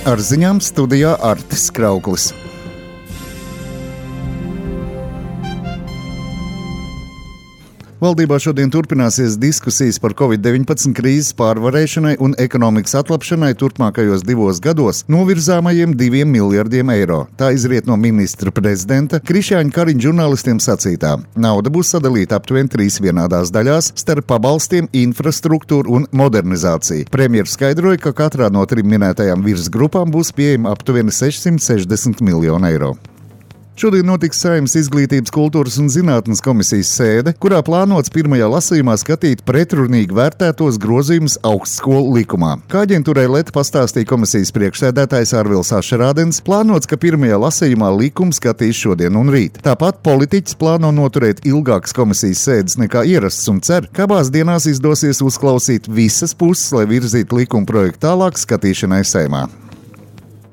Ar ziņām studijā Artis Krauklis. Valdībā šodien turpināsies diskusijas par Covid-19 krīzes pārvarēšanai un ekonomikas atlapšanai turpmākajos 2 gados novirzāmajiem 2 miljardiem eiro. Tā izriet no ministra prezidenta Krišjāņa Kariņa žurnālistiem sacītā. Nauda būs sadalīta aptuveni 3 vienādās daļās starp pabalstiem, infrastruktūru un modernizāciju. Premjers skaidroja, ka katrā no 3 minētajām virsgrupām būs pieejama aptuveni 660 miljonu eiro. Šodien notiks Saeimas Izglītības, kultūras un zinātnes komisijas sēde, kurā plānots pirmajā lasījumā skatīt pretrunīgi vērtētos grozījumus augstskolu likumā. Kā aģentūrai LET pastāstīja komisijas priekšsēdētājs Arvils Ašerādens, plānots, ka pirmajā lasījumā likumu skatīs šodien un rīt. Tāpat politiķis plāno noturēt ilgākas komisijas sēdes nekā ierasts un cer, ka abās dienās izdosies uzklausīt visas puses, lai virzītu likuma projektu tālāk skatīšanai Saeimā.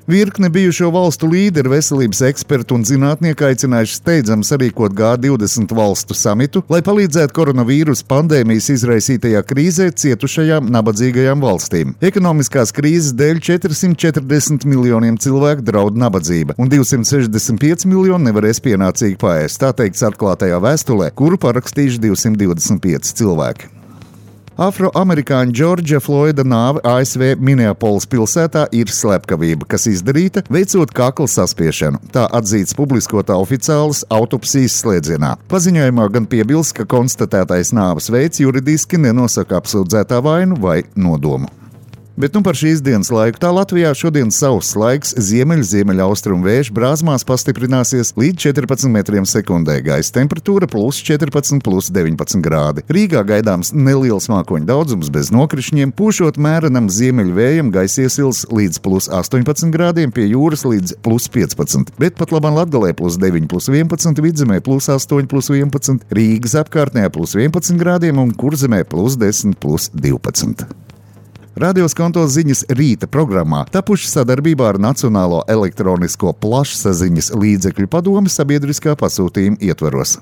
Virkne bijušo valstu līderi, veselības eksperti un zinātnieki aicinājuši steidzami sarīkot G20 valstu samitu, lai palīdzētu koronavīrusa pandēmijas izraisītajā krīzē cietušajām nabadzīgajām valstīm. Ekonomiskās krīzes dēļ 440 miljoniem cilvēku draud nabadzība, un 265 miljoni nevarēs pienācīgi paēst, tā teikts atklātajā vēstulē, kuru parakstījuši 225 cilvēki. Afroamerikāņa Džordža Floida nāve ASV Minneapolis pilsētā ir slepkavība, kas izdarīta, veicot kakla saspiešanu. Tā atzīts publiskotā oficiālas autopsijas slēdzienā. Paziņojumā gan piebilst, ka konstatētais nāves veids juridiski nenosaka apsūdzētā vainu vai nodomu. Bet par šīs dienas laiku tā Latvijā šodien sauss laiks, ziemeļaustrumu vējš brāzmās pastiprināsies līdz 14 metriem sekundē, gaisa temperatūra +14, +19 grādi. Rīgā gaidāms neliels mākoņu daudzums bez nokrišņiem, pūšot mērenam ziemeļvējam, gaisa iesils līdz +18 grādiem, pie jūras līdz +15, bet pat labāk Latgalē +9, +11, Vidzemē +8, +11, Rīgas apkārtnē +11 grādiem un Kurzemē +10, +12. Radio Skonto ziņas rīta programmā tapuši sadarbībā ar Nacionālo elektronisko plašsaziņas līdzekļu padomi sabiedriskā pasūtījuma ietvaros.